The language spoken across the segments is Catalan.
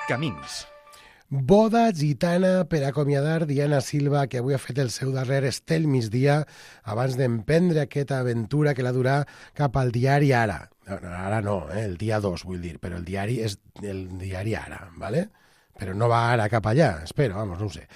Camins. Boda gitana per acomiadar Diana Silva, que avui ha fet el seu darrer estel migdia abans d'emprendre aquesta aventura que l'ha durat cap al diari Ara. Ara no, el dia 2, vull dir, però el diari és el diari Ara, ¿vale? Però no va ara cap allà, espero, vamos, no ho sé.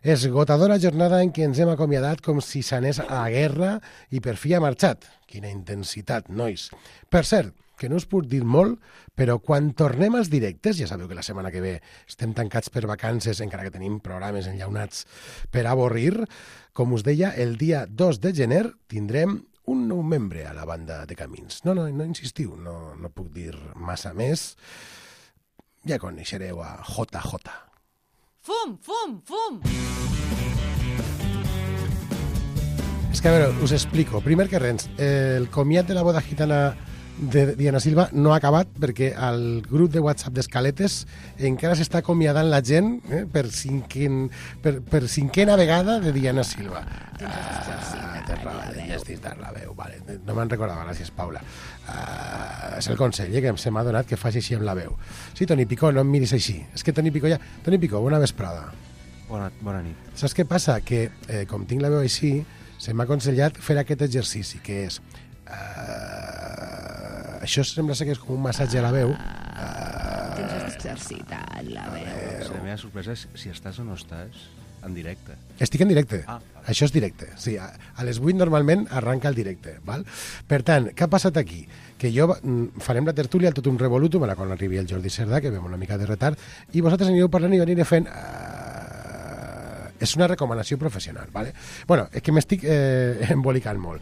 Esgotadora jornada en què ens hem acomiadat com si s'anés a la guerra i per fi ha marxat. Quina intensitat, nois. Per cert, que no us puc dir molt, però quan tornem als directes, ja sabeu que la setmana que ve estem tancats per vacances, encara que tenim programes enllaunats per avorrir, com us deia, el dia 2 de gener tindrem un nou membre a la banda de Camins. No insistiu, no puc dir massa més. Ja coneixereu a JJ. Fum, fum, fum! És que, a veure, us explico. Primer que res, el comiat de la boda gitana de Diana Silva no ha acabat perquè al grup de WhatsApp d'Escaletes encara s'està acomiadant la gent per cinquena vegada de Diana Silva. La veu, vale. No me'n recordava, gràcies, Paula. És el consell que se m'ha donat que faci així amb la veu. Sí, Toni Picó, no em miris així. És que Toni Picó, bona vesprada. Bona nit. Saps què passa? Que com tinc la veu així, se m'ha aconsellat fer aquest exercici, que és... això sembla ser que és com un massatge a la veu. Tens exercitat la veu. La meva sorpresa és si estàs o no estàs en directe. Estic en directe. Vale. Això és directe. Sí, a les 8 normalment arranca el directe. Val? Per tant, què ha passat aquí? Que jo farem la tertúlia al tot un revolutum, quan arribi el Jordi Cerdà, que vam una mica de retard, i vosaltres anireu parlant i aniré fent... és una recomanació professional. Vale? Bueno, és que m'estic embolicant molt.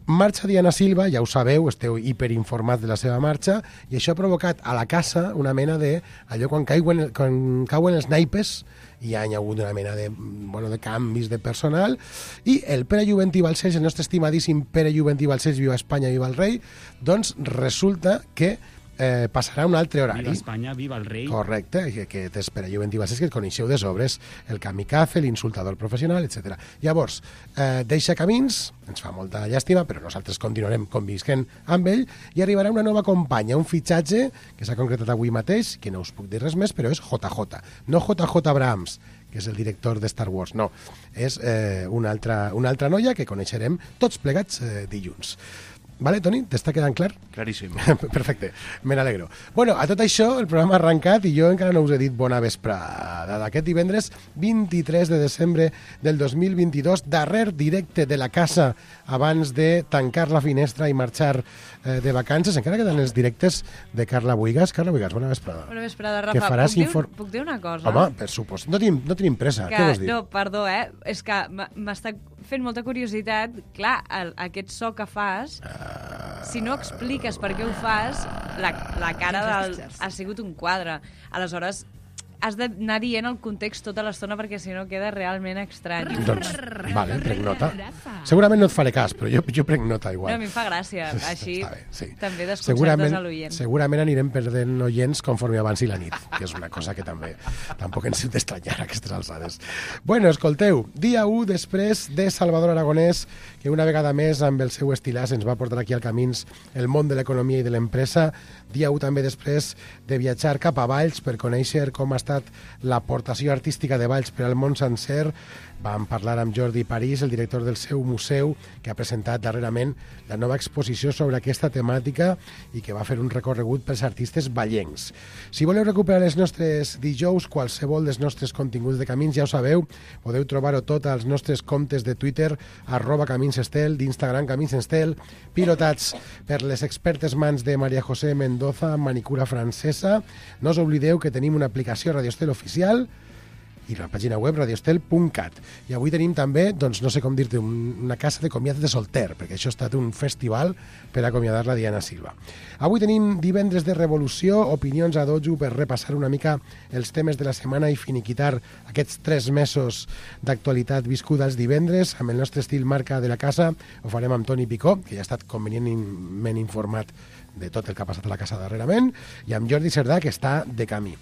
Marxa Diana Silva, ja ho sabeu, esteu hiperinformats de la seva marxa, i això ha provocat a la casa una mena de... allò quan cauen els naipes, hi ha hagut una mena de canvis de personal, i el Pere Juventí Balcells, el nostre estimadíssim Pere Juventí Balcells, viva Espanya, viva el rei, doncs resulta que passarà un altre horari. Viva Espanya, viva el rei. Correcte, que és Pere Juventí Balcells, que el coneixeu de sobres, el kamikaze, l'insultador professional, etc. Llavors, deixa Camins, ens fa molta llàstima, però nosaltres continuarem convisquent amb ell, i arribarà una nova companya, un fitxatge que s'ha concretat avui mateix, que no us puc dir res més, però és JJ. No JJ Abrams, que és el director de Star Wars, no. És una altra noia que coneixerem tots plegats dilluns. Vale, Toni? T'està quedant clar? Claríssim. Perfecte, me n'alegro. Bueno, a tot això, el programa ha arrencat i jo encara no us he dit bona vesprada. D'aquest divendres 23 de desembre del 2022, darrer directe de la casa abans de tancar la finestra i marxar de vacances. Encara queden els directes de Carla Buigas. Carla Buigas, bona vesprada. Bona vesprada, Rafa. Puc dir una cosa? Home, per supost. No tenim pressa. Què vols dir? No, perdó, és que m'està fent molta curiositat. Clar, aquest so que fas... Si no expliques per què ho fas, la cara ha sigut un quadre. Aleshores, has d'anar dient el context tota l'estona perquè si no queda realment estrany. Doncs, vale, prenc nota. Segurament no et faré cas, però jo prenc nota igual. No, a mi em fa gràcia. Així bé, sí. També desconcertes a l'oient. Segurament anirem perdent oients conforme avanci la nit, que és una cosa que tampoc ens hem d'estranyar a aquestes alçades. Bueno, escolteu, dia 1 després de Salvador Aragonès, que una vegada més amb el seu estilàs ens va portar aquí al Camins el món de l'economia i de l'empresa. Dia 1 també després de viatjar cap a Valls per conèixer com ha estat l'aportació artística de Valls per al món sencer. Vam parlar amb Jordi París, el director del seu museu, que ha presentat darrerament la nova exposició sobre aquesta temàtica i que va fer un recorregut pels artistes vallencs. Si voleu recuperar els nostres dijous, qualsevol dels nostres continguts de Camins, ja ho sabeu, podeu trobar-ho tot als nostres comptes de Twitter, @CaminsEstel, d'Instagram CaminsEstel, pilotats per les expertes mans de Maria José Mendoza, manicura francesa. No us oblideu que tenim una aplicació Radio Estel oficial i la pàgina web radioestel.cat. I avui tenim també, doncs no sé com dir-te, una casa de comiat de solter, perquè això ha estat un festival per acomiadar la Diana Silva. Avui tenim divendres de revolució, opinions a dojo per repassar una mica els temes de la setmana i finiquitar aquests 3 mesos d'actualitat viscuda els divendres, amb el nostre estil marca de la casa. Ho farem amb Toni Picó, que ja ha estat convenientment informat de tot el que ha passat a la casa darrerament, i amb Jordi Cerdà, que està de camí.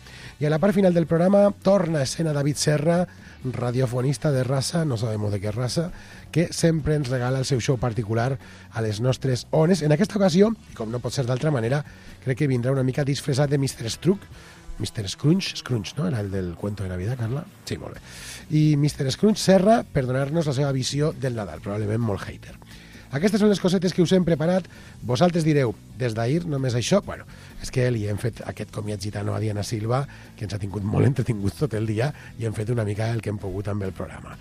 I a la part final del programa torna a escena David Serra, radiofonista de raça, no sabem de què raça, que sempre ens regala el seu show particular a les nostres ones. En aquesta ocasió, i com no pot ser d'altra manera, crec que vindrà una mica disfressat de Mr. Struck, Mr. Scrunch, no? Era el del cuento de Navidad, Carla? Sí, molt bé. I Mr. Scrunch Serra per donar-nos la seva visió del Nadal, probablement molt hater. Aquestes són les cosetes que us hem preparat. Vosaltres direu, des d'ahir només això? Bueno, és que li hem fet aquest comiat gitano a Diana Silva, que ens ha tingut molt entretingut tot el dia, i hem fet una mica el que hem pogut amb el programa.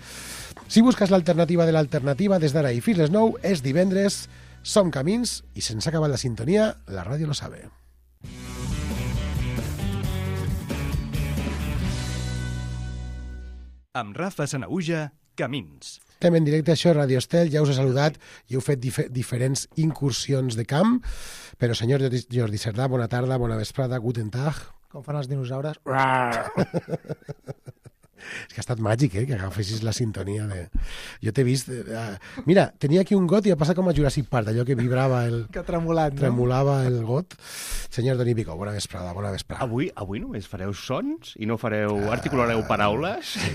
Si busques l'alternativa de l'alternativa, des d'ara i fins les 9, és divendres, som Camins, i se'ns ha acabat la sintonia, la ràdio lo sabe. Amb Rafa Sanaüja, Camins. Estem en directe, això és Radio Estel, ja us he saludat i heu fet diferents incursions de camp, però senyor Jordi Cerdà, bona tarda, bona vesprada, guten tag. Com fan els dinosaures. És que ha estat màgic, que agafessis la sintonia de... Jo t'he vist... Mira, tenia aquí un got i ha passat com a Jurassic Park, allò que vibrava el... Que ha tremolat, no? Tremolava el got. Senyor Doni Pico, bona vesprada, bona vesprada. Avui només fareu sons i no fareu... articulareu paraules? Sí.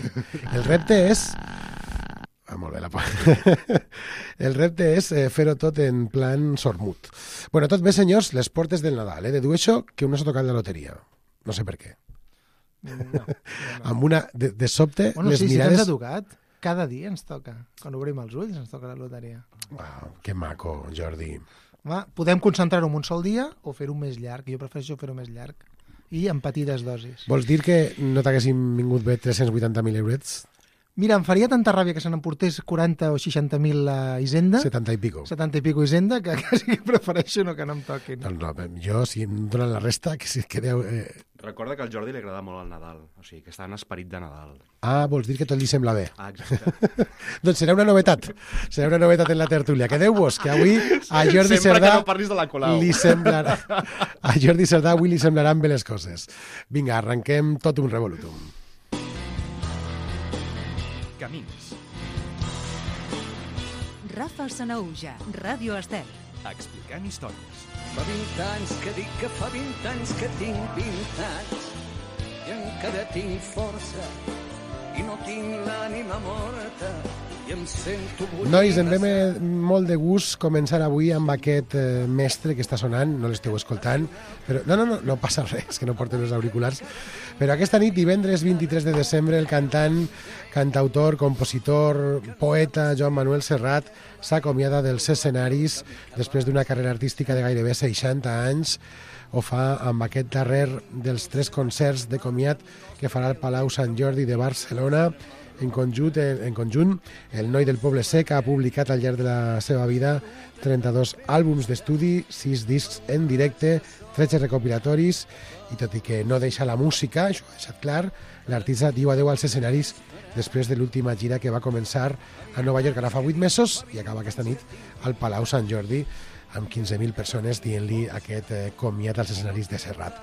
El repte és... molt bé, El repte és fer-ho tot en plan sormut. Bueno, tot bé, senyors, les portes del Nadal, de dur això que un no s'ha tocat la loteria. No sé per què. No. Amb una... De sobte, bueno, les sí, mirades... Sí que ens ha tocat. Cada dia ens toca. Quan obrim els ulls ens toca la loteria. Wow, que maco, Jordi. Home, podem concentrar-ho en un sol dia o fer-ho més llarg. Jo prefereixo fer-ho més llarg. I en petites dosis. Vols dir que no t'haguessin vingut bé 380.000 eurets? Mira, em faria tanta ràbia que se n'emportés 40 o 60.000 a Hisenda. 70 i pico. 70 i pico Hisenda, que quasi que prefereixo no que no em toquin. No, jo, si em donen la resta, que si quedeu... Recorda que al Jordi li agrada molt el Nadal, o sigui, que està en esperit de Nadal. Ah, vols dir que tot li sembla bé. Ah, exacte. Doncs serà una novetat. Serà una novetat en la tertúlia. Quedeu-vos, que avui a Jordi Sempre Cerdà... que no parlis de la Colau. Li semblarà... A Jordi Cerdà avui li semblaran bé les coses. Vinga, arrenquem tot un revolutum. Camins. Rafa Sanaüja, Ràdio Estel. Explicant històries. Fa 20 anys que dic que fa 20 anys que tinc 20 anys i encara tinc força i no tinc l'ànima morta i em sento bullir. Nois, em ve molt de gust començar avui amb aquest mestre que està sonant, no l'esteu escoltant, però no passa res, que no porten els auriculars, però aquesta nit, divendres 23 de desembre, el cantant, cantautor, compositor, poeta Joan Manuel Serrat s'acomiada dels escenaris després d'una carrera artística de gairebé 60 anys. Ho fa amb aquest darrer dels 3 concerts de comiat que farà al Palau Sant Jordi de Barcelona. En conjunt, el noi del Poble Sec ha publicat al llarg de la seva vida 32 àlbums d'estudi, 6 discs en directe, 13 recopilatoris, i tot i que no deixa la música, això ha deixat clar, l'artista diu adeu als escenaris després de l'última gira que va començar a Nova York ara fa 8 mesos i acaba aquesta nit al Palau Sant Jordi amb 15.000 persones dient-li aquest comiat als escenaris de Serrat.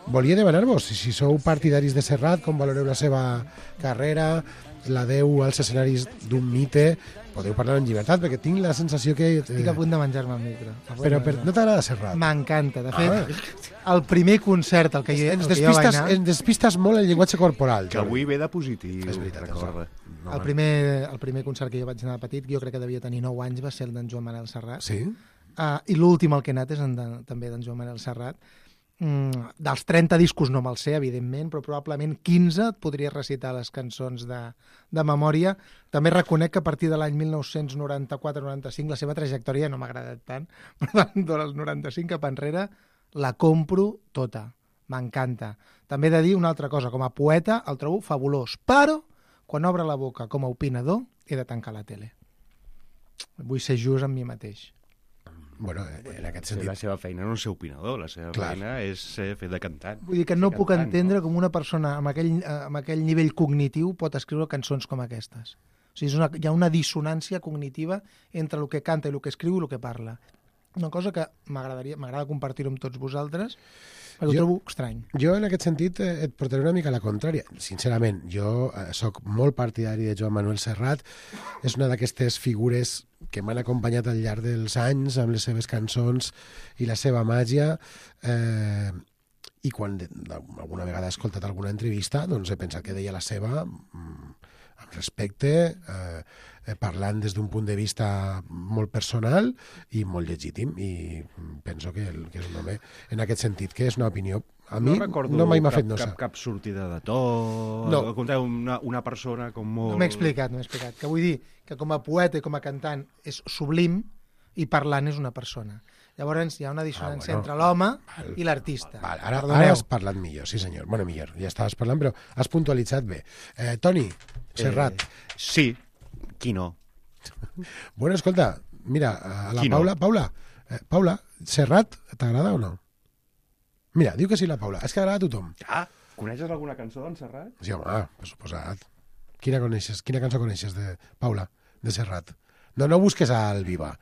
Volia demanar-vos si sou partidaris de Serrat, com valoreu la seva carrera, l'adeu als escenaris d'un mite. Podeu parlar en llibertat, perquè tinc la sensació que... Estic a punt de menjar-me el micro. Però no t'agrada Serrat? M'encanta. De fet, el primer concert al que jo vaig anar... Ens despistes molt el llenguatge corporal. Que avui ve de positiu. És veritat, recorda. El primer concert que jo vaig anar de petit, jo crec que devia tenir 9 anys, va ser el d'en Joan Manel Serrat. Sí? I l'últim al que he anat és també d'en Joan Manel Serrat. Dels 30 discos no me'ls sé, evidentment, però probablement 15 et podria recitar les cançons de memòria. També reconec que a partir de l'any 1994-95 la seva trajectòria no m'ha agradat tant, però del 95 cap enrere la compro tota, m'encanta. També he de dir una altra cosa, com a poeta el trobo fabulós, però quan obre la boca com a opinador he de tancar la tele. Vull ser just amb mi mateix. Bueno, en aquest sentit... La seva feina no és ser opinador, la seva feina és fer de cantant. Vull dir que no puc entendre com una persona amb aquell nivell cognitiu pot escriure cançons com aquestes. O sigui, hi ha una dissonància cognitiva entre el que canta i el que escriu i el que parla. Una cosa que m'agrada compartir-ho amb tots vosaltres, però ho trobo estrany. Jo, en aquest sentit, et portaré una mica a la contrària. Sincerament, jo soc molt partidari de Joan Manuel Serrat. És una d'aquestes figures que m'han acompanyat al llarg dels anys amb les seves cançons i la seva màgia. I quan alguna vegada he escoltat alguna entrevista, doncs he pensat que deia la seva amb respecte, parlant des d'un punt de vista molt personal i molt legítim, i penso que és un home en aquest sentit, que és una opinió a mi no mai m'ha fet nosa. Cap sortida de to, No. Conteu una persona com molt... No m'he explicat. Que vull dir que com a poeta i com a cantant és sublim i parlant és una persona. Llavors hi ha una dissonància entre l'home i l'artista. Ara has parlat millor, sí senyor. Bueno, millor, ja estaves parlant, però has puntualitzat bé. Toni, Serrat. Sí, qui no? Bueno, escolta, mira, a la Qui no? Paula, Serrat, t'agrada o no? Mira, diu que sí la Paula. És que agrada a tothom. Coneixes alguna cançó d'en Serrat? Sí, home, per suposat. Quina cançó coneixes de Paula, de Serrat? No busques al Viva.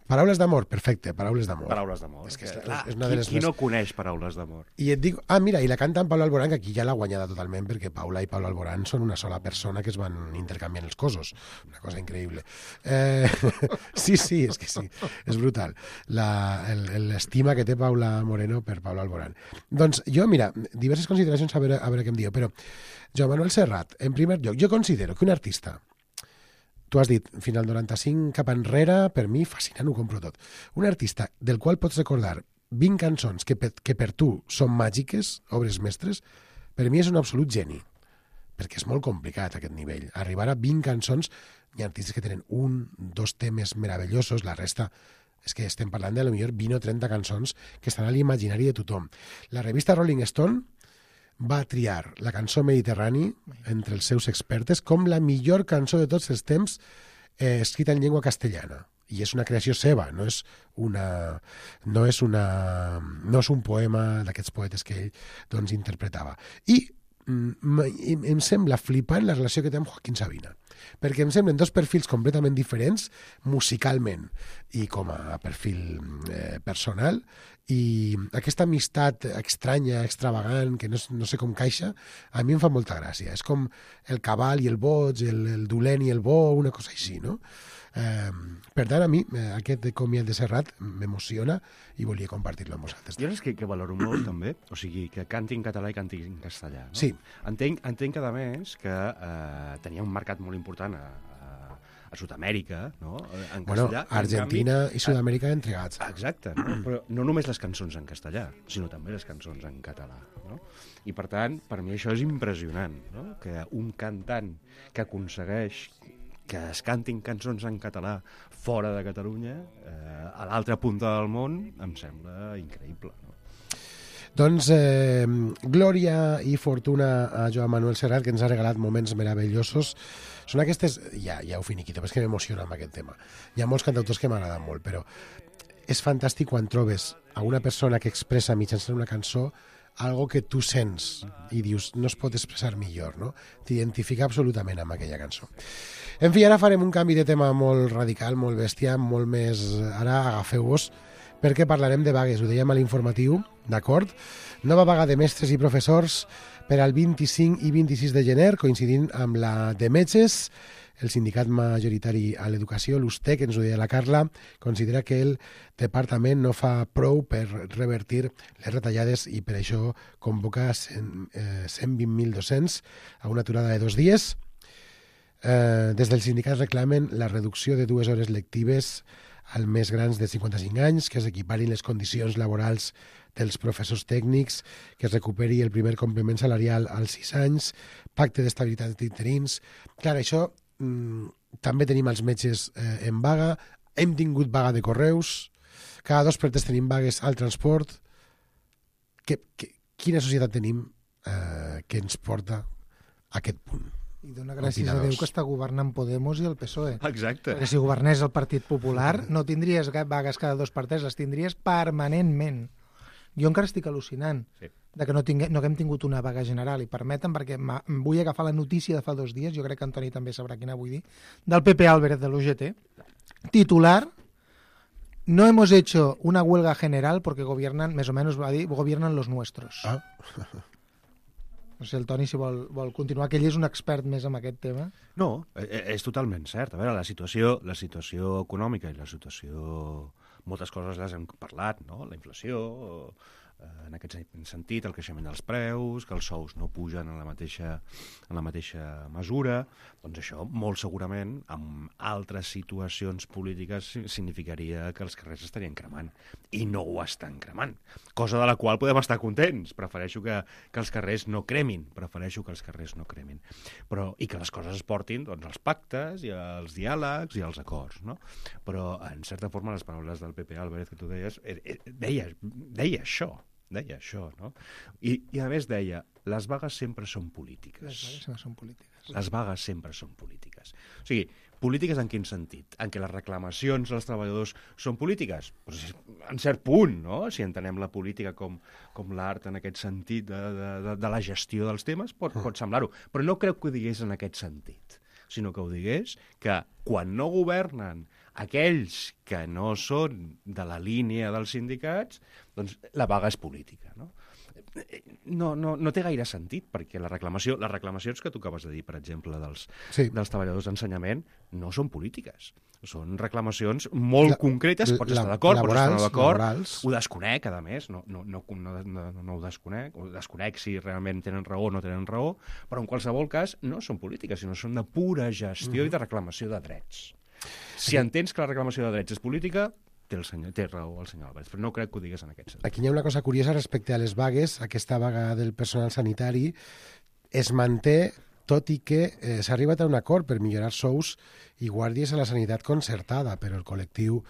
Paraules d'amor, perfecte, paraules d'amor. Paraules d'amor. És que és una de les Qui no coneix paraules d'amor? I et dic, mira, i la canta en Pablo Alborán, que aquí ja l'ha guanyada totalment, perquè Paula i Pablo Alborán són una sola persona que es van intercanviant els cossos. Una cosa increïble. Sí, és que sí, és brutal. L'estima que té Paula Moreno per Pablo Alborán. Doncs jo, mira, diverses consideracions a veure què em diu, però Joan Manuel Serrat, en primer lloc, jo considero que un artista, tu has dit, final 95 cap enrere, per mi, fascinant, ho compro tot. Un artista del qual pots recordar 20 cançons que per tu són màgiques, obres mestres, per mi és un absolut geni. Perquè és molt complicat aquest nivell. Arribar a 20 cançons, hi ha artistes que tenen 1, 2 temes meravellosos, la resta és que estem parlant de potser 20 o 30 cançons que estan a l'imaginari de tothom. La revista Rolling Stone va triar la cançó Mediterrani entre els seus expertes com la millor cançó de tots els temps escrita en llengua castellana. I és una creació seva, no és un poema d'aquests poetes que ell doncs, interpretava. I em sembla flipant la relació que té amb Joaquín Sabina, perquè em semblen dos perfils completament diferents musicalment i com a perfil personal, i aquesta amistat estranya, extravagant, que no sé com caixa, a mi em fa molta gràcia. És com el cabal i el boig, el dolent i el bo, una cosa així, no? Per tant, a mi aquest comiat de Serrat m'emociona i volia compartir-lo amb vosaltres. Jo és que valoro molt, també, o sigui, que canti en català i canti en castellà. No? Sí. Entenc, a més, que tenia un mercat molt important a Sud-amèrica, no? En castellà. Argentina i Sud-amèrica entregats. Exacte, no? Però no només les cançons en castellà, sinó també les cançons en català, no? I, per tant, per mi això és impressionant, no? Que un cantant que aconsegueix que es cantin cançons en català fora de Catalunya, a l'altra punta del món, em sembla increïble, no? Doncs glòria i fortuna a Joan Manuel Serrat, que ens ha regalat moments meravellosos. Són aquestes... Ja ho finiquito, és que m'emociona amb aquest tema. Hi ha molts cantautors que m'agraden molt, però és fantàstic quan trobes a una persona que expressa mitjançant una cançó algo que tu sents i dius, no es pot expressar millor, no? T'identifica absolutament amb aquella cançó. En fi, ara farem un canvi de tema molt radical, molt bèstia, molt més... Ara agafeu-vos, perquè parlarem de vagues, ho dèiem a l'informatiu, d'acord? Nova vaga de mestres i professors per al 25 i 26 de gener, coincidint amb la de metges. El sindicat majoritari a l'educació, l'USTEC, ens ho deia la Carla, considera que el departament no fa prou per revertir les retallades i per això convoca 120.000 docents a una aturada de 2 dies. Des del sindicat reclamen la reducció de 2 hores lectives als més grans de 55 anys, que s'equiparin les condicions laborals dels professors tècnics, que es recuperi el primer complement salarial als 6 anys, pacte d'estabilitat d'interins. Clar, això també tenim els metges en vaga, hem tingut vaga de correus, cada 2 per 3 tenim vagues al transport. Quina societat tenim que ens porta a aquest punt? I dona gràcies a Déu que està governant Podemos i el PSOE. Exacte. Perquè si governés el Partit Popular no tindries vagues cada 2 per 3, les tindries permanentment. Jo encara estic al·lucinant de que no haguem tingut una vaga general, i permeten, perquè vull agafar la notícia de fa 2 dies, jo crec que Antoni també sabrà quina vull dir, del Pepe Álvarez de l'UGT, titular: no hemos hecho una huelga general porque gobiernan, més o menys va dir, gobiernan los nuestros. No sé, el Toni, si vol continuar, que ell és un expert més en aquest tema. No, és totalment cert. A veure, la situació econòmica i la situació... Moltes coses les hem parlat, no? La inflació, En aquest sentit, el creixement dels preus, que els sous no pugen en la mateixa mesura, doncs això molt segurament en altres situacions polítiques significaria que els carrers estarien cremant. I no ho estan cremant. Cosa de la qual podem estar contents. Prefereixo que els carrers no cremin. I que les coses es portin doncs, als pactes i als diàlegs i als acords. No? Però, en certa forma, les paraules del PP Álvarez que tu deies, deia això. No? I a més deia, les vagues sempre són polítiques. Les vagues sempre són polítiques. O sigui, polítiques en quin sentit? En què les reclamacions dels treballadors són polítiques? Pues, en cert punt, no? Si entenem la política com l'art en aquest sentit de la gestió dels temes, pot semblar-ho. Però no crec que ho digués en aquest sentit, sinó que ho digués que quan no governen aquells que no són de la línia dels sindicats, doncs la vaga és política, no? No té gaire sentit, perquè les reclamacions que tu acabes de dir, per exemple, dels treballadors d'ensenyament, no són polítiques. Són reclamacions molt concretes, pots estar d'acord, pots estar no d'acord, ho desconec, a més, no ho desconec, ho desconec si realment tenen raó o no tenen raó, però en qualsevol cas no són polítiques, sinó són de pura gestió i de reclamació de drets. Si entens que la reclamació de drets és política, té raó el senyor Álvarez, però no crec que ho digues en aquest sentit. Aquí hi ha una cosa curiosa respecte a les vagues. Aquesta vaga del personal sanitari es manté, tot i que s'ha arribat a un acord per millorar sous i guàrdies a la sanitat concertada, però el col·lectiu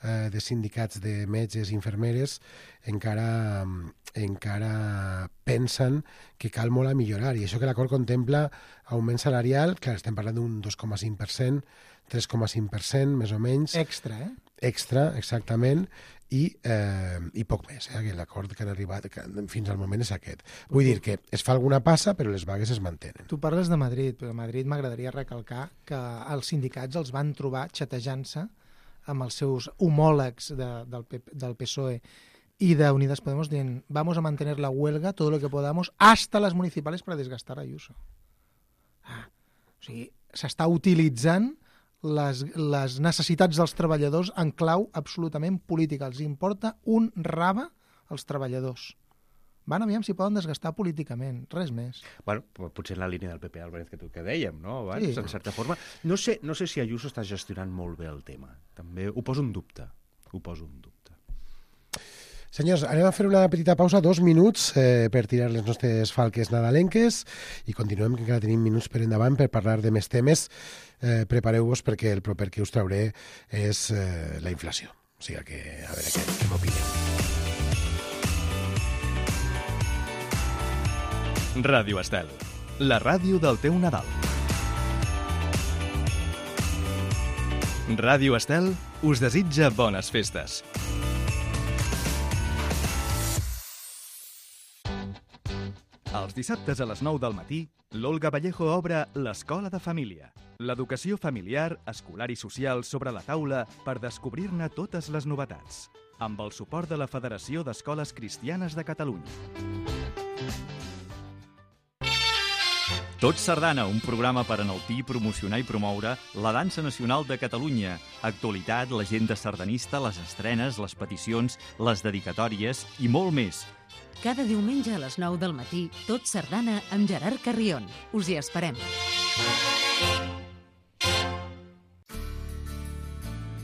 de sindicats de metges i infermeres encara pensen que cal molt a millorar. I això que l'acord contempla augment salarial, clar, estem parlant d'un 2,5%, 3,5%, més o menys. Extra, exactament, i poc més. Que l'acord que han arribat fins al moment és aquest. Vull dir que es fa alguna passa, però les vagues es mantenen. Tu parles de Madrid, però a Madrid m'agradaria recalcar que els sindicats els van trobar xatejant-se amb els seus homòlegs del PSOE y de Unidas Podemos dient vamos a mantener la huelga todo lo que podamos hasta las municipales para desgastar a Ayuso. O sigui, s'està utilitzant les necessitats dels treballadors en clau absolutament política. Els importa un rave als treballadors. Van aviam si poden desgastar políticament, res més. Bueno, potser en la línia del PP Álvarez que dèiem, no? Abans, sí. En certa forma. No sé si Ayuso està gestionant molt bé el tema. També ho poso en dubte. Senyors, anem a fer una petita pausa, 2 minuts per tirar les nostres falques nadalenques i continuem, que encara tenim minuts per endavant per parlar de més temes. Prepareu-vos perquè el proper que us trauré és la inflació. O sigui que, a veure què m'opineu. Ràdio Estel, la ràdio del teu Nadal. Ràdio Estel us desitja bones festes. Els dissabtes a les 9 del matí, l'Olga Vallejo obre l'Escola de Família. L'educació familiar, escolar i social sobre la taula per descobrir-ne totes les novetats. Amb el suport de la Federació d'Escoles Cristianes de Catalunya. Tot Sardana, un programa per enaltir, promocionar i promoure la dansa nacional de Catalunya. Actualitat, l'agenda sardanista, les estrenes, les peticions, les dedicatòries i molt més. Cada diumenge a les 9 del matí, Tot Sardana amb Gerard Carrion. Us hi esperem.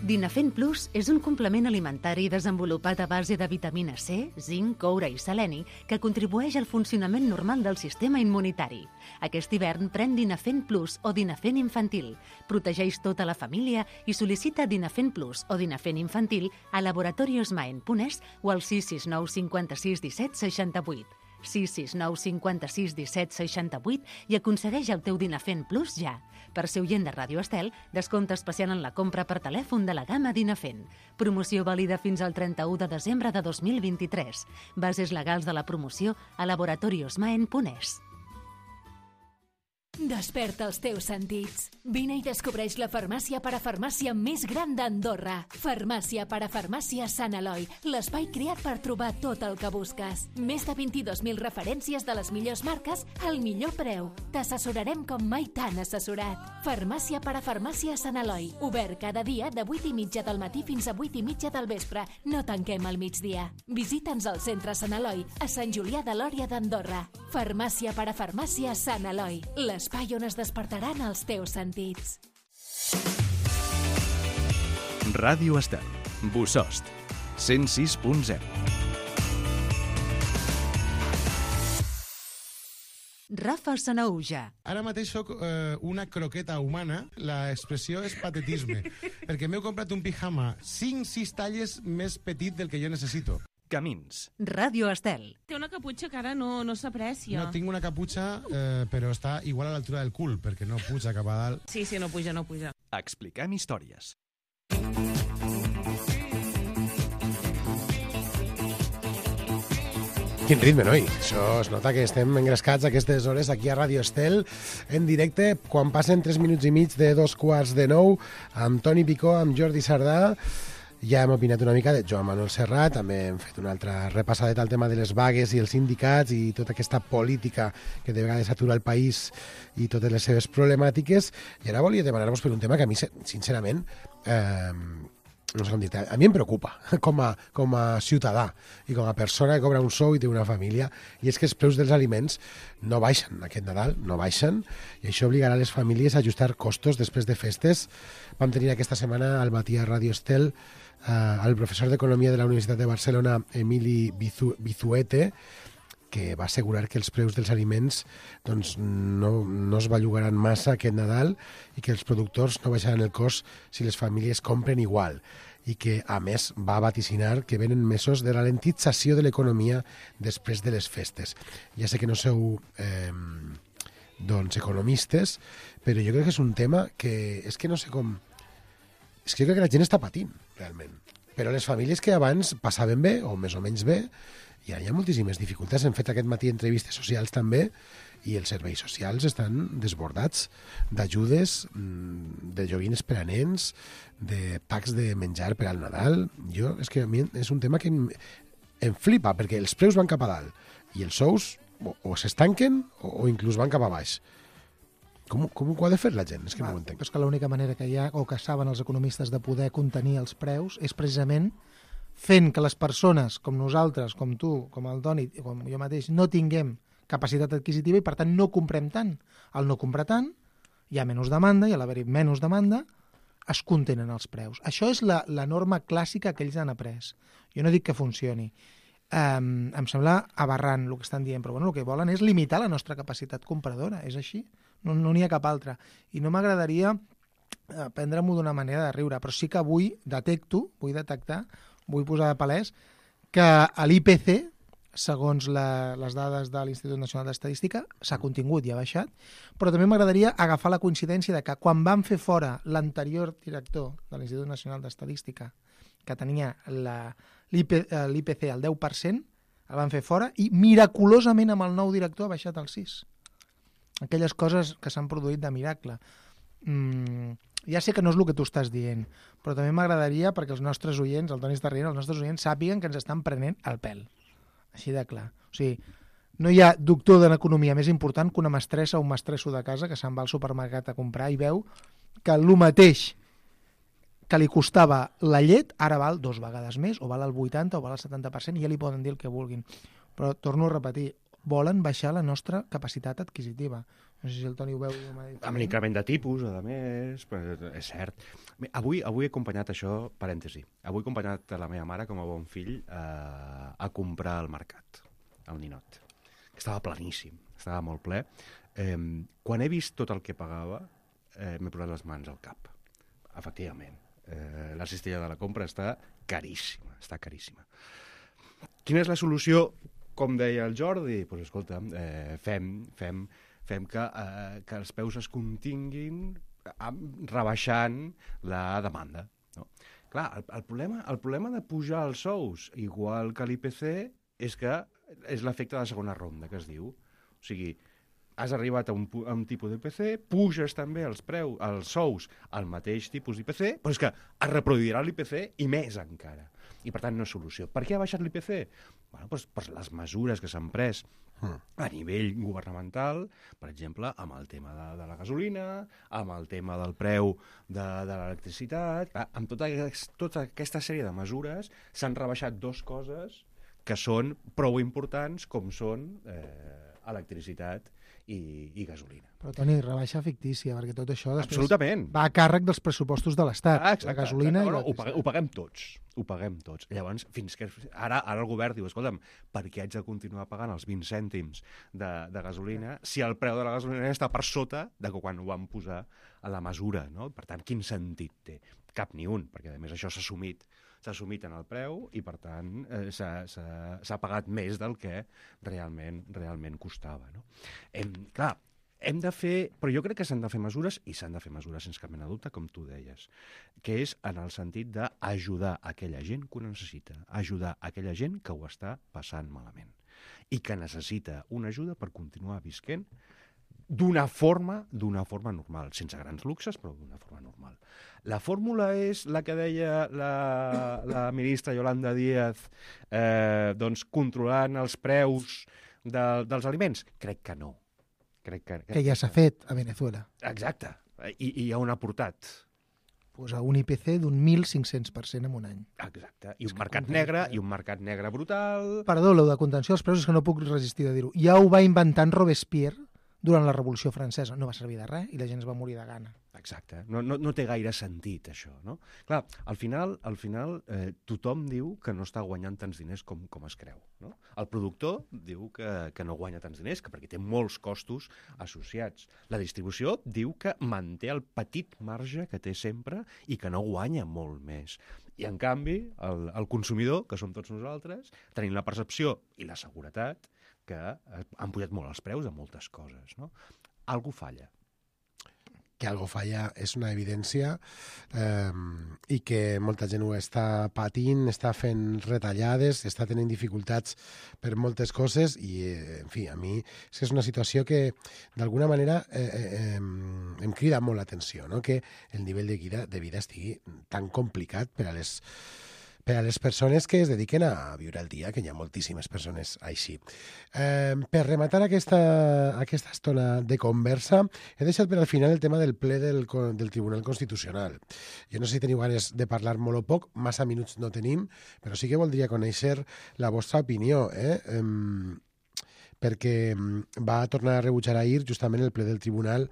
Dinafen Plus és un complement alimentari desenvolupat a base de vitamina C, zinc, coure i seleni que contribueix al funcionament normal del sistema immunitari. Aquest hivern pren Dinafen Plus o Dinafen Infantil. Protegeix tota la família i sol·licita Dinafen Plus o Dinafen Infantil a laboratoriosmaen.es o al 669 56 17 68. 669 56 17 68 i aconsegueix el teu Dinafen Plus ja. Per ser oient de Ràdio Estel, descompte especial en la compra per telèfon de la gamma Dinafen. Promoció vàlida fins al 31 de desembre de 2023. Bases legals de la promoció a laboratoriosmaen.es. Desperta els teus sentits. Vine i descobreix la farmàcia parafarmàcia més gran d'Andorra. Farmàcia parafarmàcia Sant Eloi, l'espai creat per trobar tot el que busques. Més de 22.000 referències de les millors marques al millor preu. T'assessorarem com mai t'han assessorat. Farmàcia parafarmàcia Sant Eloi, obert cada dia de 8:30 del matí fins a 8:30 del vespre. No tanquem al migdia. Visita'ns al centre Sant Eloi, a Sant Julià de Lòria d'Andorra. Farmàcia parafarmàcia Sant Eloi, l'espai on es despertaran els teus sentits. Ràdio Estel, Bossòst, 106.0. Rafa Sanauja. Ara mateix soc una croqueta humana, l'expressió és patetisme, perquè m'heu comprat un pijama 5-6 talles més petit del que jo necessito. Camins. Ràdio Estel. Té una caputxa que ara no s'aprecia. No, tinc una caputxa, però està igual a l'altura del cul, perquè no puja cap a dalt. Sí, no puja. Expliquem històries. Quin ritme, noi? Això es nota que estem engrescats a aquestes hores aquí a Ràdio Estel, en directe, quan passen 3 minuts i mig de 8:45, amb Toni Picó, amb Jordi Sardà. Ja hem opinat una mica de Joan Manuel Serrat, també hem fet una altra repassadeta al tema de les vagues i els sindicats i tota aquesta política que de vegades atura el país i totes les seves problemàtiques. I ara volia demanar-vos per un tema que a mi, sincerament, no sé com dir-te, a mi em preocupa com a ciutadà i com a persona que cobra un sou i té una família, i és que els preus dels aliments no baixen aquest Nadal, no baixen, i això obligarà les famílies a ajustar costos després de festes. Vam tenir aquesta setmana al matí a Ràdio Estel el professor d'Economia de la Universitat de Barcelona, Emili Bizuete, que va assegurar que els preus dels aliments doncs, no es bellugaran massa aquest Nadal i que els productors no baixaran el cost si les famílies compren igual, i que, a més, va vaticinar que venen mesos de ralentització de l'economia després de les festes. Ja sé que no sou economistes, però jo crec que és un tema que és que no sé com... És que jo crec que la gent està patint, realment. Però les famílies que abans passaven bé, o més o menys bé, i ara hi ha moltíssimes dificultats. Hem fet aquest matí entrevistes socials també, i els serveis socials estan desbordats d'ajudes, de joguines per a nens, de packs de menjar per al Nadal. És que a mi és un tema que em flipa, perquè els preus van cap a dalt, i els sous o s'estanquen o inclús van cap a baix. Com ho ha de fer la gent? És que no ho entenc. És que l'única manera que hi ha, o que saben els economistes, de poder contenir els preus és precisament fent que les persones, com nosaltres, com tu, com el Toni, com jo mateix, no tinguem capacitat adquisitiva i, per tant, no comprem tant. Al no comprar tant, hi ha menys demanda, i a l'haver-hi menys demanda, es contenen els preus. Això és la norma clàssica que ells han après. Jo no dic que funcioni. Em sembla aberrant el que estan dient, però bueno, el que volen és limitar la nostra capacitat compradora, és així. No n'hi ha cap altra. I no m'agradaria prendre-m'ho d'una manera de riure, però sí que vull posar de palès que a l'IPC, segons les dades de l'Institut Nacional d'Estadística, s'ha contingut i ha baixat, però també m'agradaria agafar la coincidència de que quan van fer fora l'anterior director de l'Institut Nacional d'Estadística, que tenia l'IPC al 10%, el van fer fora i miraculosament amb el nou director ha baixat al 6%. Aquelles coses que s'han produït de miracle. Ja sé que no és el que tu estàs dient, però també m'agradaria, perquè els nostres oients, el Toni està rient, els nostres oients sàpiguen que ens estan prenent el pèl. Així de clar. O sigui, no hi ha doctor d'economia més important que una mestressa o un mestresso de casa que se'n va al supermercat a comprar i veu que el mateix que li costava la llet ara val 2 vegades més, o val el 80% o val el 70%, i ja li poden dir el que vulguin. Però torno a repetir, volen baixar la nostra capacitat adquisitiva. No sé si el Toni ho veu. Amb l'increment de tipus, a més, és cert. Avui he acompanyat això, parèntesi, avui he acompanyat la meva mare com a bon fill a comprar al mercat, al Ninot, que estava pleníssim, estava molt ple. Quan he vist tot el que pagava, m'he posat les mans al cap. Efectivament, la cistella de la compra està caríssima, Quina és la solució? Com deia el Jordi, doncs escolta, fem que els preus es continguin rebaixant la demanda. No? Clar, el problema de pujar els sous, igual que l'IPC, és que és l'efecte de la segona ronda, que es diu. O sigui, has arribat a un tipus d'IPC, puges també els sous al mateix tipus d'IPC, però és que es reproduirà l'IPC i més encara. I, per tant, no és solució. Per què ha baixat l'IPC? Bueno, doncs per les mesures que s'han pres a nivell governamental, per exemple, amb el tema de la gasolina, amb el tema del preu de l'electricitat. Amb tota aquesta sèrie de mesures s'han rebaixat dues coses que són prou importants, com són electricitat i gasolina. Però, Toni, rebaixa fictícia, perquè tot això després Absolutament. va a càrrec dels pressupostos de l'Estat. La gasolina i ho paguem tots. Ho paguem tots. Llavors, fins que ara el govern diu, escolta'm, per què haig de continuar pagant els 20 cèntims de gasolina si el preu de la gasolina està per sota de quan ho van posar a la mesura, no? Per tant, quin sentit té? Cap ni un, perquè a més això s'ha assumit en el preu i, per tant, s'ha pagat més del que realment costava. No? Clar, hem de fer... Però jo crec que s'han de fer mesures, i s'han de fer mesures sense cap mena de dubte, com tu deies, que és en el sentit d'ajudar aquella gent que ho necessita, ajudar aquella gent que ho està passant malament i que necessita una ajuda per continuar visquent d'una forma normal, sense grans luxes, però d'una forma normal. La fórmula és la que deia la ministra Yolanda Díaz, doncs controlant els preus dels aliments? Crec que no. Que ja s'ha fet a Venezuela. Exacte. I on ha portat? Pues a un IPC d'un 1.500% en un any. Exacte. I un mercat negre brutal. Perdó, lo de contenció dels preus és que no puc resistir de dir-ho. Ja ho va inventar Robespierre durant la Revolució Francesa. No va servir de res i la gent es va morir de gana. Exacte. No té gaire sentit, això, no? Clar, al final tothom diu que no està guanyant tants diners com es creu, no? El productor diu que no guanya tants diners, perquè té molts costos associats. La distribució diu que manté el petit marge que té sempre i que no guanya molt més. I, en canvi, el consumidor, que som tots nosaltres, tenim la percepció i la seguretat que han pujat molt els preus de moltes coses, no? Algú falla. Que algo falla és una evidència i que molta gent ho està patint, està fent retallades, està tenint dificultats per moltes coses i, en fi, a mi és una situació que d'alguna manera em crida molt l'atenció, no? Que el nivell de vida estigui tan complicat per a les persones que es dediquen a viure el dia, que hi ha moltíssimes persones així. Per rematar aquesta estona de conversa, he deixat per al final el tema del ple del Tribunal Constitucional. Jo no sé si teniu ganes de parlar molt o poc, massa minuts no tenim, però sí que voldria conèixer la vostra opinió, perquè va tornar a rebutjar ahir justament el ple del Tribunal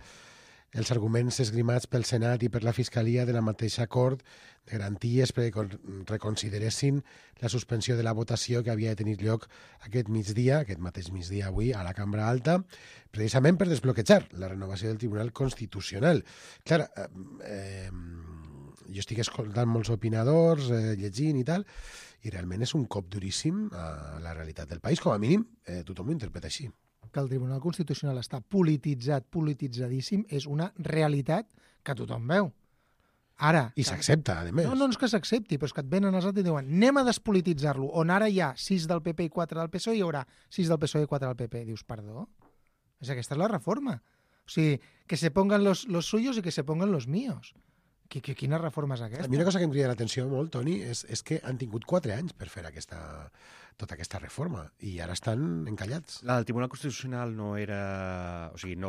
els arguments esgrimats pel Senat i per la Fiscalia de la mateixa Cort de garanties perquè reconsideressin la suspensió de la votació que havia de tenir lloc aquest mateix migdia avui a la Cambra Alta, precisament per desbloquejar la renovació del Tribunal Constitucional. Clar, jo estic escoltant molts opinadors, llegint i tal, i realment és un cop duríssim a la realitat del país. Com a mínim, tothom ho interpreta així. Que el Tribunal Constitucional està polititzadíssim, és una realitat que tothom veu. Ara... I s'accepta, a més. No és que s'accepti, però és que et venen els altres i diuen anem a despolititzar-lo, on ara hi ha 6 del PP i 4 del PSOE, hi haurà 6 del PSOE i 4 del PP. Dius, perdó? Aquesta és la reforma. O sigui, que se pongan los suyos i que se pongan los míos. Quina reforma és aquesta? A mi una cosa que em crida l'atenció molt, Toni, és que han tingut 4 anys per fer tota aquesta reforma i ara estan encallats. La del Tribunal Constitucional no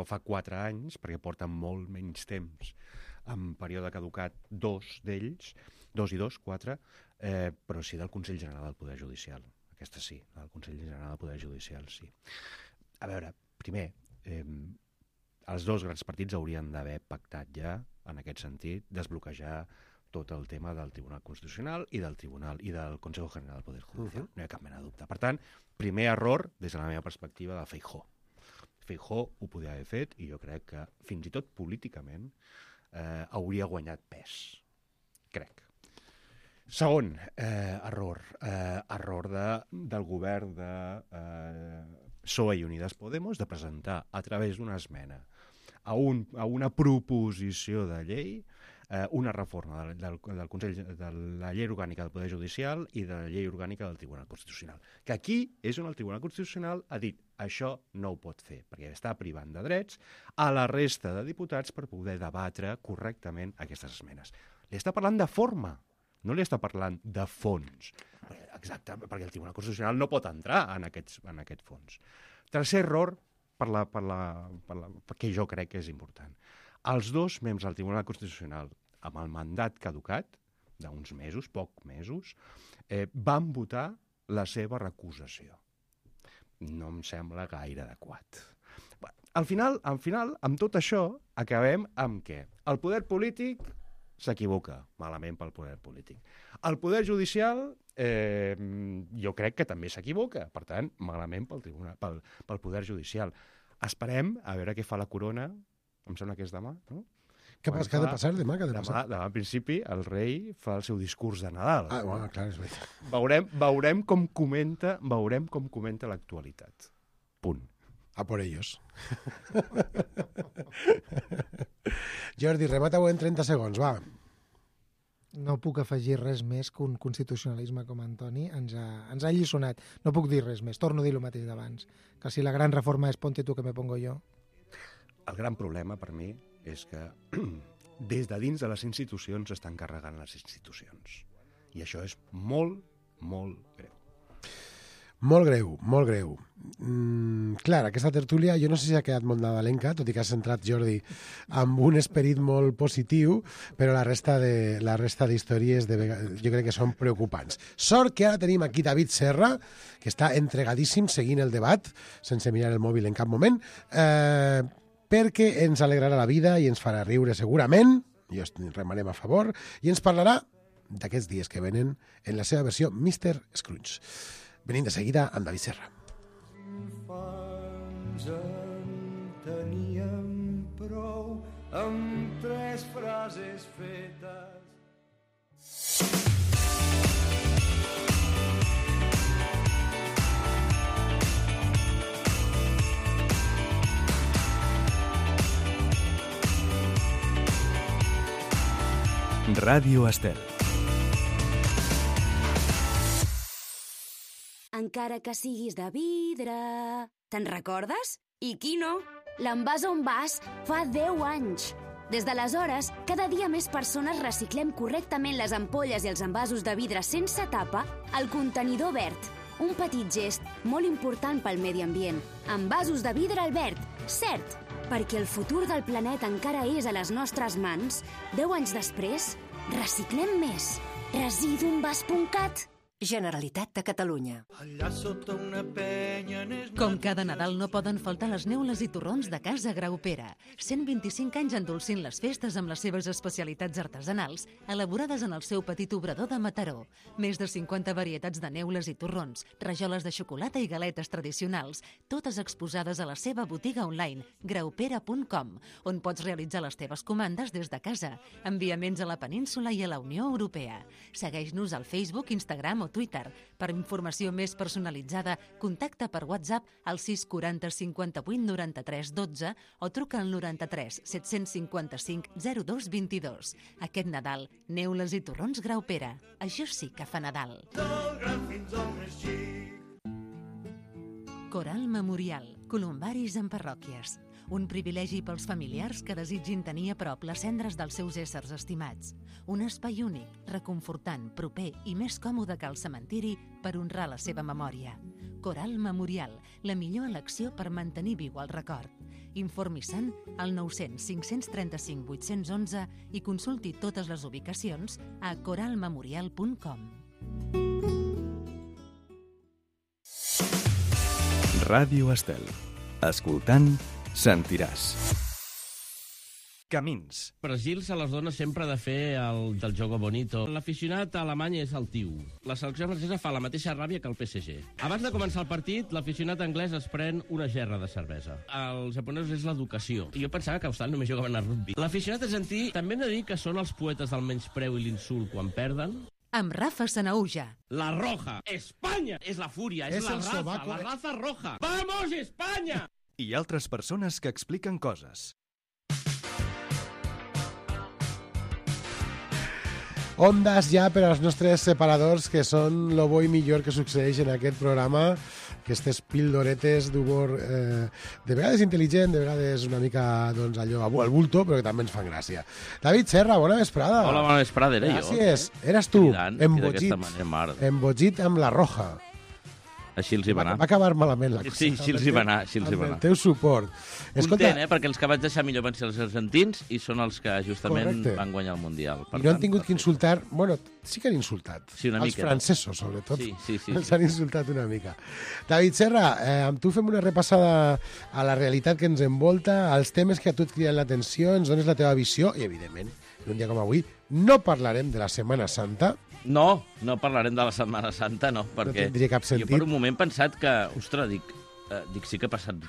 fa 4 anys, perquè porten molt menys temps en període caducat 2 d'ells, 2 i 2, 4, però sí del Consell General del Poder Judicial. Aquesta sí, la del Consell General del Poder Judicial, sí. A veure, primer, els dos grans partits haurien d'haver pactat ja, en aquest sentit, desbloquejar tot el tema del Tribunal Constitucional i del Tribunal i del Consejo General del Poder Judicial. No hi ha cap mena de dubte. Per tant, primer error, des de la meva perspectiva, de Feijóo. Feijóo ho podia haver fet i jo crec que, fins i tot políticament, hauria guanyat pes. Crec. Segon error. Error del govern de PSOE i Unidas Podemos de presentar a través d'una esmena a una proposició de llei una reforma del Consell de la llei orgànica del Poder Judicial i de la llei orgànica del Tribunal Constitucional. Que aquí és on el Tribunal Constitucional ha dit això no ho pot fer, perquè està privant de drets a la resta de diputats per poder debatre correctament aquestes esmenes. Li està parlant de forma, no li està parlant de fons. Exacte, perquè el Tribunal Constitucional no pot entrar en aquest fons. Tercer error, perquè jo crec que és important. Els dos membres del Tribunal Constitucional, amb el mandat caducat, d'uns mesos, pocs mesos, van votar la seva recusació. No em sembla gaire adequat. Al final, amb tot això, acabem amb què? El poder polític s'equivoca, malament pel poder polític. El poder judicial, jo crec que també s'equivoca, per tant, malament pel poder judicial. Esperem a veure què fa la corona, em sembla que és demà, no? Què ha de passar demà? Demà, en principi, el rei fa el seu discurs de Nadal. Ah, bueno, clar, és veritat. Veurem com comenta l'actualitat. Punt. A por ellos. Jordi, remata-ho en 30 segons, va. No puc afegir res més que un constitucionalisme com Antoni ens ha alliçonat. No puc dir res més, torno a dir el mateix d'abans. Que si la gran reforma és ponte tu que me pongo yo. El gran problema per mi és que des de dins de les institucions s'estan carregant les institucions. I això és molt, molt greu. Molt greu, molt greu. Clar, aquesta tertúlia, jo no sé si ha quedat molt nadalenca, tot i que has entrat, Jordi, amb un esperit molt positiu, però la resta d'històries jo crec que són preocupants. Sort que ara tenim aquí David Serra, que està entregadíssim seguint el debat, sense mirar el mòbil en cap moment, perquè ens alegrarà la vida i ens farà riure segurament, jo remarem a favor, i ens parlarà d'aquests dies que venen en la seva versió Mr. Scrooge. Venim de seguida amb David Serra. Infants en teníem prou amb 3 frases fetes. Ràdio Estel. Encara que siguis de vidre... Te'n recordes? I qui no? L'Envàs on vas fa 10 anys. Des d'aleshores, cada dia més persones reciclem correctament les ampolles i els envasos de vidre sense tapa al contenidor verd. Un petit gest molt important pel medi ambient. Envasos de vidre Albert, cert, perquè el futur del planeta encara és a les nostres mans. 10 anys després, reciclem més. Residuenvas.cat. Generalitat de Catalunya. Allà sota una penya... Com cada Nadal no poden faltar les neules i torrons de Casa Graupera. 125 anys endolcint les festes amb les seves especialitats artesanals, elaborades en el seu petit obrador de Mataró. Més de 50 varietats de neules i torrons, rajoles de xocolata i galetes tradicionals, totes exposades a la seva botiga online, graupera.com, on pots realitzar les teves comandes des de casa. Enviaments a la península i a la Unió Europea. Segueix-nos al Facebook, Instagram o Twitter. Per informació més personalitzada, contacta per WhatsApp al 640 58 93 12 o truca al 93 755 02 22. Aquest Nadal, neules i torrons Graupera. Això sí que fa Nadal. Coral Memorial, columbaris en parròquies. Un privilegi pels familiars que desitgin tenir a prop les cendres dels seus éssers estimats. Un espai únic, reconfortant, proper i més còmode que el cementiri per honrar la seva memòria. Coral Memorial, la millor elecció per mantenir viu el record. Informi-se'n al 900 535 811 i consulti totes les ubicacions a coralmemorial.com. Ràdio Estel. Escoltant, sentiràs. Camins. Per Gils se les dona sempre de fer el del jogo bonito. L'aficionat alemany és el tiu. La selecció francesa fa la mateixa ràbia que el PSG. Abans de començar el partit, l'aficionat anglès es pren una gerra de cervesa. Els japonesos és l'educació. I jo pensava que a Austràlia només jugaven a rugby. L'aficionat argentí també hem de dir que són els poetes del menyspreu i l'insult quan perden. Amb Rafa Sanauja. La roja. Espanya és la fúria, és la raza, la raza roja. Vamos, Espanya! I altres persones que expliquen coses. ondas ja per als nostres separadors, que són lo bo i millor que succeeix en aquest programa, aquestes pildoretes d'humor de vegades intel·ligent, de vegades una mica doncs, allò al bulto, però que també ens fan gràcia. David Serra, bona vesprada. Hola, bona vesprada, era jo. Gràcies. Eres tu, embogit amb la roja. Així els hi va anar. Va acabar malament la cosa. Sí, així els hi va anar. Amb el teu suport. Content, perquè els que vaig deixar millor van ser els argentins i són els que justament van guanyar el Mundial. I no han tingut que insultar... Bueno, sí que han insultat. Sí, una mica. Els francesos, sobretot. Sí. Els han insultat una mica. David Serra, amb tu fem una repassada a la realitat que ens envolta, als temes que a tu et criden l'atenció, ens dones la teva visió i, evidentment, en un dia com avui, no parlarem de la Setmana Santa. No parlarem de la Setmana Santa, no, perquè no tindria cap sentit. Jo per un moment he pensat que, ostres, dic sí que ha passat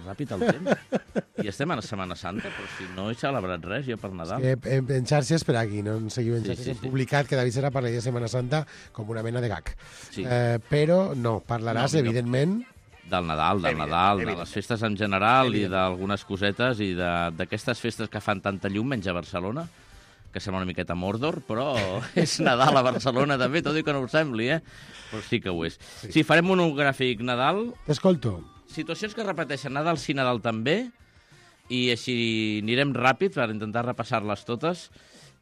ràpid el temps i estem a la Setmana Santa, però si no he celebrat res jo per Nadal. És que en xarxes, per aquí, no en seguiu en xarxes, hem publicat que David Serra parlaria de Setmana Santa com una mena de gag. Sí. Però no, parlaràs, evidentment... Del Nadal, de les festes en general i d'algunes cosetes i d'aquestes festes que fan tanta llum, menys a Barcelona, que sembla una miqueta Mordor, però és Nadal a Barcelona també, tot i que no ho sembli, però sí que ho és. Sí, farem monogràfic Nadal. T'escolto. Situacions que repeteixen Nadal sí, Nadal també, i així anirem ràpid per intentar repassar-les totes,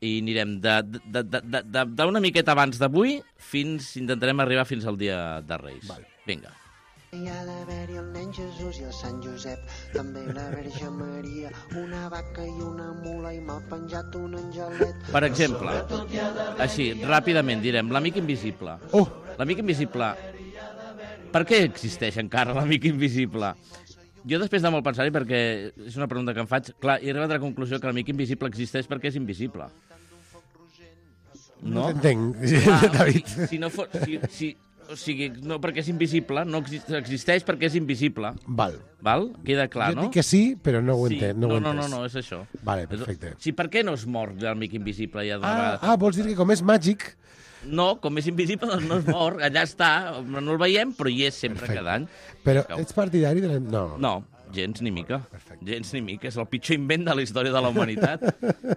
i anirem d'una miqueta abans d'avui intentarem arribar fins al dia de Reis. Vinga. Hi ha d'haver-hi el nen Jesús i el Sant Josep, també la Verge Maria, una vaca i una mula i m'ha penjat un angelet. Per exemple, així, ràpidament direm, l'amic invisible. L'amic invisible, per què existeix encara l'amic invisible? Jo després de molt pensar-hi, perquè és una pregunta que em faig, clar, he arribat a la conclusió que l'amic invisible existeix perquè és invisible. No t'entenc, David. Si no fos... O sigui, no perquè és invisible, no existeix perquè és invisible. Val? Queda clar, no? Jo dic que sí, però no ho entenc. No, és això. Vale, perfecte. Sí, per què no es mor l'amic invisible ja d'una vegada? Vols dir que com és màgic... No, com és invisible, doncs no es mor, allà està, no el veiem, però hi és sempre cada any. Però ets partidari de... No, gens ni mica. Gens ni mica, és el pitjor invent de la història de la humanitat,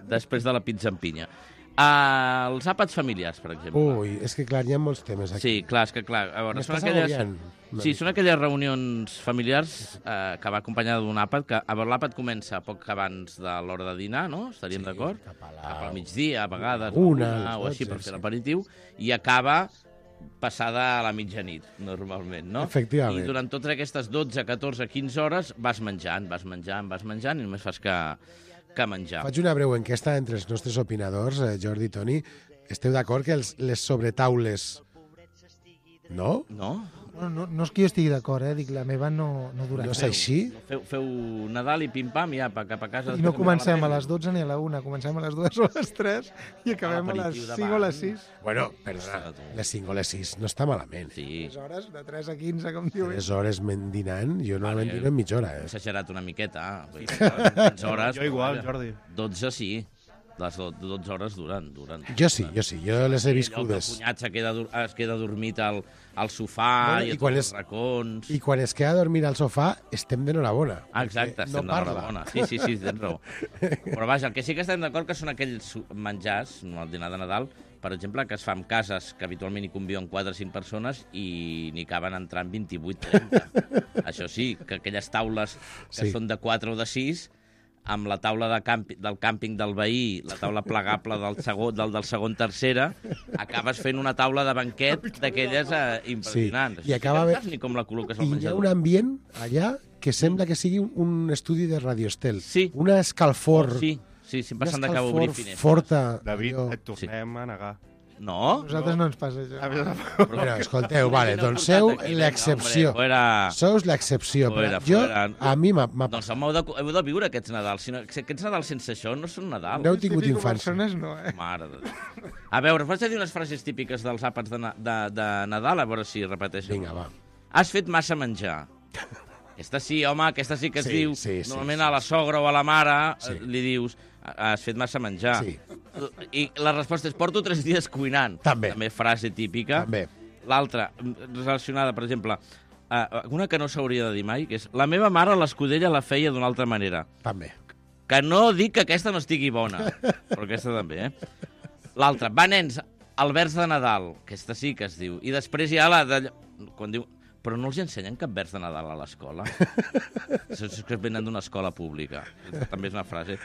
després de la pizza amb pinya. Els àpats familiars, per exemple. Ui, és que clar, hi ha molts temes aquí. Sí, clar, és que clar. A veure, són aquelles reunions familiars que va acompanyada d'un àpat, que a veure, l'àpat comença poc abans de l'hora de dinar, no? Estaríem d'acord? Cap al migdia, a vegades, una o així per fer l'aperitiu, i acaba passada a la mitjanit, normalment, no? Efectivament. I durant totes aquestes 12, 14, 15 hores vas menjant, i només fas que menjar. Faig una breu enquesta entre els nostres opinadors, Jordi i Toni. Esteu d'acord que les sobretaules... No? No? No és que jo estigui d'acord, dic, la meva no durarà. No és així? Feu Nadal i pim-pam i apa, cap a casa... I no comencem a les 12 ni a la 1, comencem a les 2 o a les 3 i acabem a les 5 o a les 6. Bueno, perdona, les 5 o les 6 no està malament. Sí. 3 hores, de 3 a 15, com diu. 3 hores dinant, jo normalment dino en mitja hora. He exagerat una miqueta. 15 hores... Jo igual, Jordi. 12 sí. Les 12 hores duren. Jo sí, jo les he viscudes. El cunyat es queda dormit al sofà i a tots els racons. I quan es queda a dormir al sofà, estem d'enhorabona. Exacte, estem d'enhorabona. Sí, tens raó. Però vaja, el que sí que estem d'acord que són aquells menjars, al dinar de Nadal, per exemple, que es fa en cases que habitualment hi conviuen 4 o 5 persones i n'hi caben entrant 28-30. Això sí, que aquelles taules que són de 4 o de 6... amb la taula del càmping del veí, la taula plegable del segon tercera, acabes fent una taula de banquet d'aquelles impressionants. Sí. I acaba ni com la col·loques al menjador. I hi ha un ambient allà que sembla que sigui un estudi de radioestel. Sí. Una escalfor. Sí, passant de cap obrir finestres. Forta. David, et tornem a negar. No? Nosaltres no ens passa això. Però escolteu, vale, doncs sou l'excepció. Sous l'excepció. A mi m'ha... Doncs heu de viure aquests Nadals. Aquests Nadals sense això no són Nadal. No heu tingut infància. Mare de Déu. A veure, vaig a dir unes frases típiques dels àpats de Nadal, a veure si repeteixen. Vinga, va. Has fet massa menjar. Aquesta sí, home, aquesta sí que es diu. Normalment a la sogra o a la mare li dius has fet massa menjar. I la resposta és porto 3 dies cuinant. També frase típica. L'altra, relacionada, per exemple, una que no s'hauria de dir mai, que és la meva mare l'escudella la feia d'una altra manera. També. Que no dic que aquesta no estigui bona, però aquesta també, L'altre, va, nens, el vers de Nadal, aquesta sí que es diu. I després hi ha la de... Quan diu... Però no els ensenyen cap vers de Nadal a l'escola. És que venen d'una escola pública. També és una frase.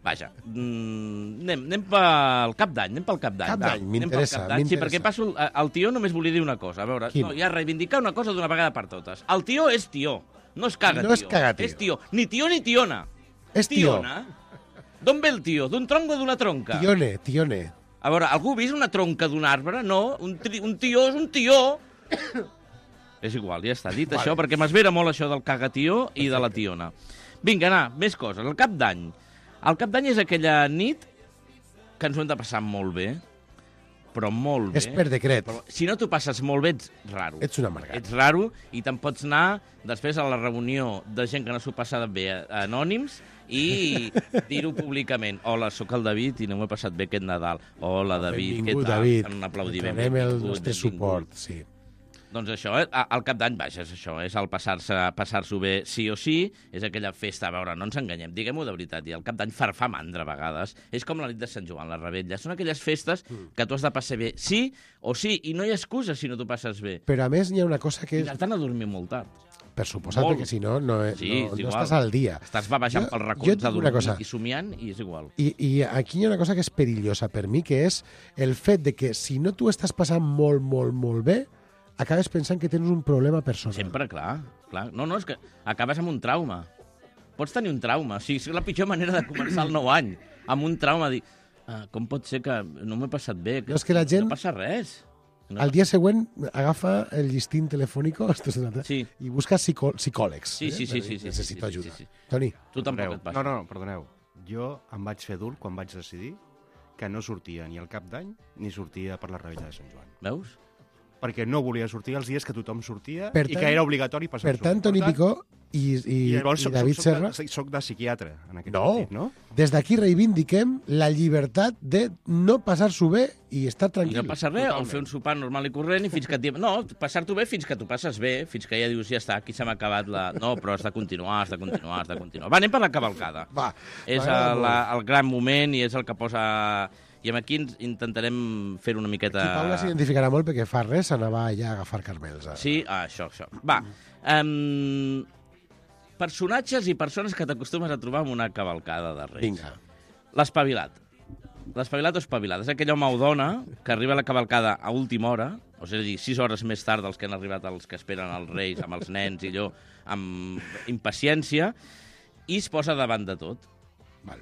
Vaja, anem pel Cap d'Any. Cap d'Any, m'interessa. Sí, perquè passo... El tió només volia dir una cosa. A veure, no, ja reivindicar una cosa d'una vegada per totes. El tió és tió. No és cagatio. No és cagatio. És tió. Ni tió ni tiona. És tió. Tiona? D'on ve el tió? D'un tronc o d'una tronca? Tione. A veure, algú ha vist una tronca d'un arbre? No, un tió és un tió. És igual, ja està dit això, perquè m'esvera molt això del cagatió i de la tiona. Vinga, més coses. El Cap d'Any. El Cap d'Any és aquella nit que ens ho hem de passar molt bé, però molt bé. És per decret. Però, si no t'ho passes molt bé, ets raro. Ets un amargat. Ets raro i te'n pots anar després a la reunió de gent que no s'ho passa bé, anònims, i dir-ho públicament. Hola, sóc el David i no m'he passat bé aquest Nadal. Hola, David, què tal? David. En un aplaudiment. Tenem el nostre suport, sí. Doncs això, el Cap d'Any, vaja, és això, és el passar-s'ho bé sí o sí, és aquella festa, a veure, no ens enganyem, diguem-ho de veritat, i el Cap d'Any fa mandra a vegades, és com la nit de Sant Joan, la Rebetlla, són aquelles festes que tu has de passar bé sí o sí, i no hi ha excusa si no t'ho passes bé. Però a més hi ha una cosa que... I t'han a dormir molt tard. Per suposat, perquè si no, no estàs al dia. Estàs babejant pels racons de dormir i somiant i és igual. I aquí hi ha una cosa que és perillosa per mi, que és el fet de que si no tu estàs passant molt, molt, molt bé, acabes pensant que tens un problema personal. Sempre, clar. No, és que acabes amb un trauma. Pots tenir un trauma. O sigui, és la pitjor manera de començar el nou any. Amb un trauma, dir, com pot ser que no m'he passat bé? No, és que la gent... No passa res. Al dia següent agafa el llistín telefònic i busca psicòlegs. Sí. Necessito ajuda. Toni. Tu tampoc et passa. No, perdoneu. Jo em vaig fer adult quan vaig decidir que no sortia ni al Cap d'Any ni sortia per la Rebetlla de Sant Joan. Veus? Perquè no volia sortir els dies que tothom sortia i que era obligatori passar-s'ho. Per tant, Toni Picó i David Serra... Soc de psiquiatre, en aquest sentit, no? Des d'aquí reivindiquem la llibertat de no passar-s'ho bé i estar tranquil. I no passar res, o fer un sopar normal i corrent i fins que... No, passar-t'ho bé fins que t'ho passes bé, fins que ja dius, ja està, aquí se m'ha acabat la... No, però has de continuar. Va, anem per la cavalcada. Va. És el gran moment i és el que posa... I aquí intentarem fer una miqueta... Aquí Paula s'identificarà molt perquè fa res anava allà a agafar carmels. Sí, això. Va. Personatges i persones que t'acostumes a trobar en una cavalcada de Reis. Vinga. L'espavilat. L'espavilat o espavilat. És aquell home o dona que arriba a la cavalcada a última hora, o és a dir, 6 hores més tard dels que han arribat els que esperen els Reis, amb els nens i allò, amb impaciència, i es posa davant de tot.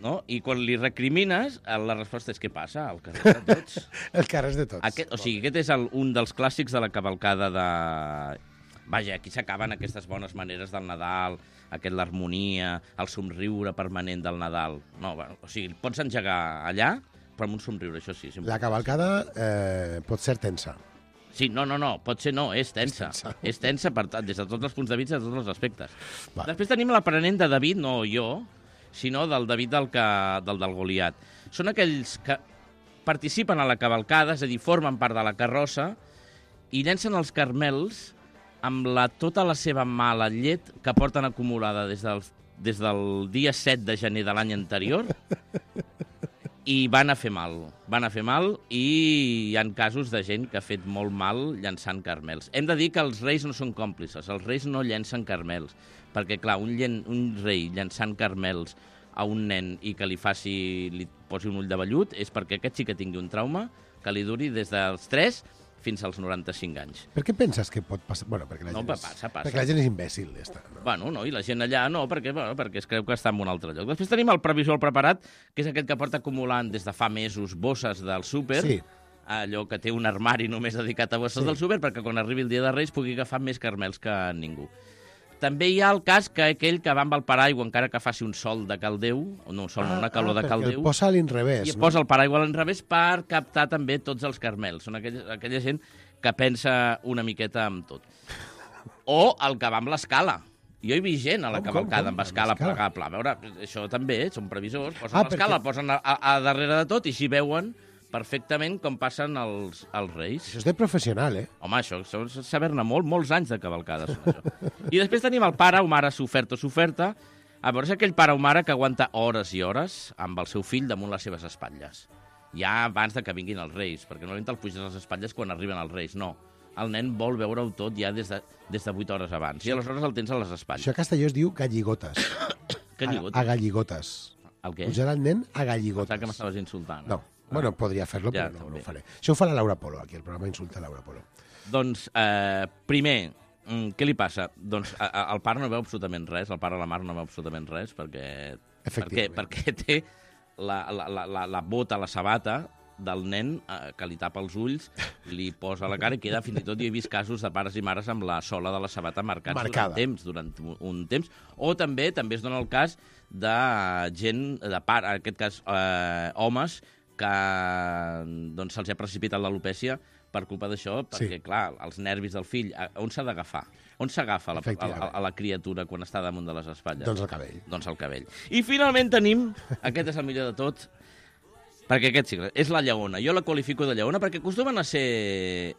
No? I quan li recrimines, la resposta és què passa? El carrer de tots. El carrer de tots. Aquest és un dels clàssics de la cavalcada de... Vaja, aquí s'acaben aquestes bones maneres del Nadal, l'harmonia, el somriure permanent del Nadal. No, pots engegar allà, però amb un somriure, això sí. La cavalcada pot ser tensa. Sí, no, pot ser no, és tensa. És tensa des de tots els punts de vista, de tots els aspectes. Després tenim l'aprenent de David, no jo, sinó del David del Goliat. Són aquells que participen a la cavalcada, és a dir, formen part de la carrossa i llencen els carmels amb tota la seva mala llet que porten acumulada des del dia 7 de gener de l'any anterior i van a fer mal i hi ha casos de gent que ha fet molt mal llançant carmels. Hem de dir que els reis no són còmplices, els reis no llencen carmels, perquè, clar, un rei llançant carmels a un nen i que li posi un ull de vellut és perquè aquest sí que tingui un trauma que li duri des dels 3 fins als 95 anys. Per què penses que pot passar? Bueno, perquè la gent és imbècil. No, i la gent allà no, perquè es creu que està en un altre lloc. Després tenim el previsor preparat, que és aquell que porta acumulant des de fa mesos bosses del súper, allò que té un armari només dedicat a bosses del súper, perquè quan arribi el dia de Reis pugui agafar més carmels que ningú. També hi ha el cas que aquell que va amb el paraigua encara que faci un sol de caldeu, una calor de caldeu, el posa a l'inrevés. I posa el paraigua a l'inrevés per captar també tots els carmels. Són aquella gent que pensa una miqueta en tot. O el que va amb l'escala. Jo he vist gent a la cavalcada amb escala plegable. A veure, això també són previsors. Posen l'escala, posen a darrere de tot i així veuen perfectament com passen els reis. Això és de professional, Home, això és saber-ne molts anys de cavalcades. I després tenim el pare o mare sofert o soferta. A veure, és aquell pare o mare que aguanta hores i hores amb el seu fill damunt les seves espatlles. ja abans de que vinguin els Reis, perquè no te'l puges a les espatlles quan arriben els Reis, no. El nen vol veure-ho tot ja des de 8 hores abans, i aleshores el tens a les espatlles. Això a Castelló es diu galligotes. A galligotes. El què? Pujar el nen a galligotes. Pensava que m'estaves insultant. No, bueno, podria fer-lo, però no ho faré. Això ho fa la Laura Polo, aquí, el programa Insulta Laura Polo. Doncs, primer, què li passa? Doncs el pare no veu absolutament res, el pare de la Mar no veu absolutament res, perquè té la bota, la sabata del nen que li tapa els ulls, li posa a la cara i queda, fins i tot hi he vist casos de pares i mares amb la sola de la sabata marcada durant un temps. O també es dona el cas de gent, en aquest cas homes, que doncs, se'ls ha precipitat l'alopècia per culpa d'això, perquè, clar, els nervis del fill, on s'ha d'agafar? On s'agafa a la criatura quan està damunt de les espatlles? Doncs el cabell. Doncs el cabell. I finalment tenim, aquest és el millor de tot, perquè aquest sí, és la lleona. Jo la qualifico de lleona perquè acostumen a ser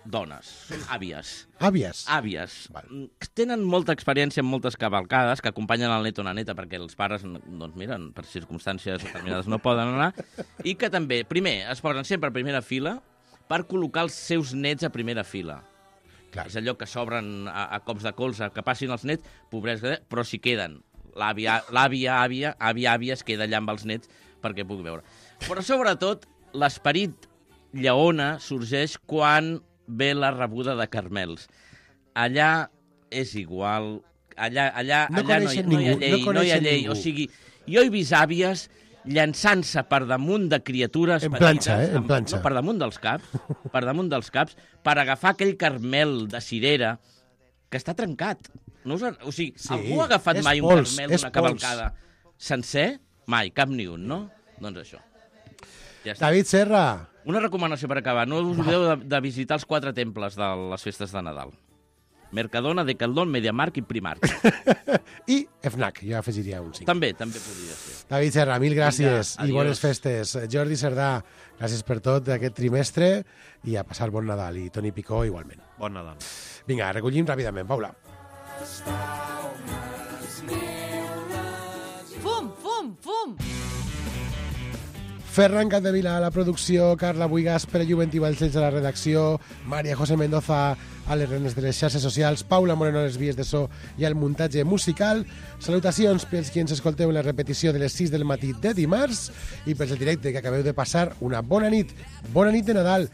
dones, són àvies. Àvies? Tenen molta experiència en moltes cavalcades que acompanyen el net o la neta perquè els pares, doncs miren, per circumstàncies determinades no poden anar, i que també, primer, es posen sempre a primera fila per col·locar els seus nets a primera fila. Clar. És allò que s'obren a cops de colze, que passin els nets, pobrets, però si queden. L'àvia es queda allà amb els nets perquè pugui veure. Però sobretot, l'esperit lleona sorgeix quan ve la rebuda de Carmels. Allà és igual, allà no hi ha llei. O sigui, jo he vist àvies llançant-se per damunt de criatures petites, en planxa. Per damunt dels caps, per agafar aquell Carmel de cirera que està trencat. O sigui, algú ha agafat mai un Carmel d'una cavalcada sencer? Mai, cap ni un, no? Doncs això. Ja David Serra. Una recomanació per acabar. No us oblideu de visitar els 4 temples de les festes de Nadal. Mercadona, Decathlon, MediaMarkt i Primark. I FNAC, jo afegiria un 5. També podria ser. David Serra, mil gràcies i bones festes. Jordi Cerdà, gràcies per tot aquest trimestre i a passar bon Nadal. I Toni Picó, igualment. Bon Nadal. Vinga, recollim ràpidament. Paula. Fum! Ferran Capdevila a la producció, Carla Buigas, Pere Juventí Valcells a la redacció, Maria José Mendoza a les renes de les xarxes socials, Paula Moreno a les vies de so i al muntatge musical. Salutacions pels qui ens escolteu en la repetició de les 6 del matí de dimarts i pels el directe que acabeu de passar una bona nit de Nadal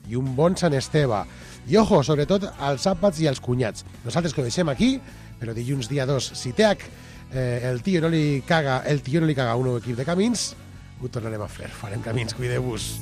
i un bon Sant Esteve. I ojo, sobretot als àpats i als cunyats. Nosaltres que ho deixem aquí, però dilluns dia 2, si el tio no li caga a un nou equip de camins, ho tornarem a fer. Farem camins, cuideu-vos.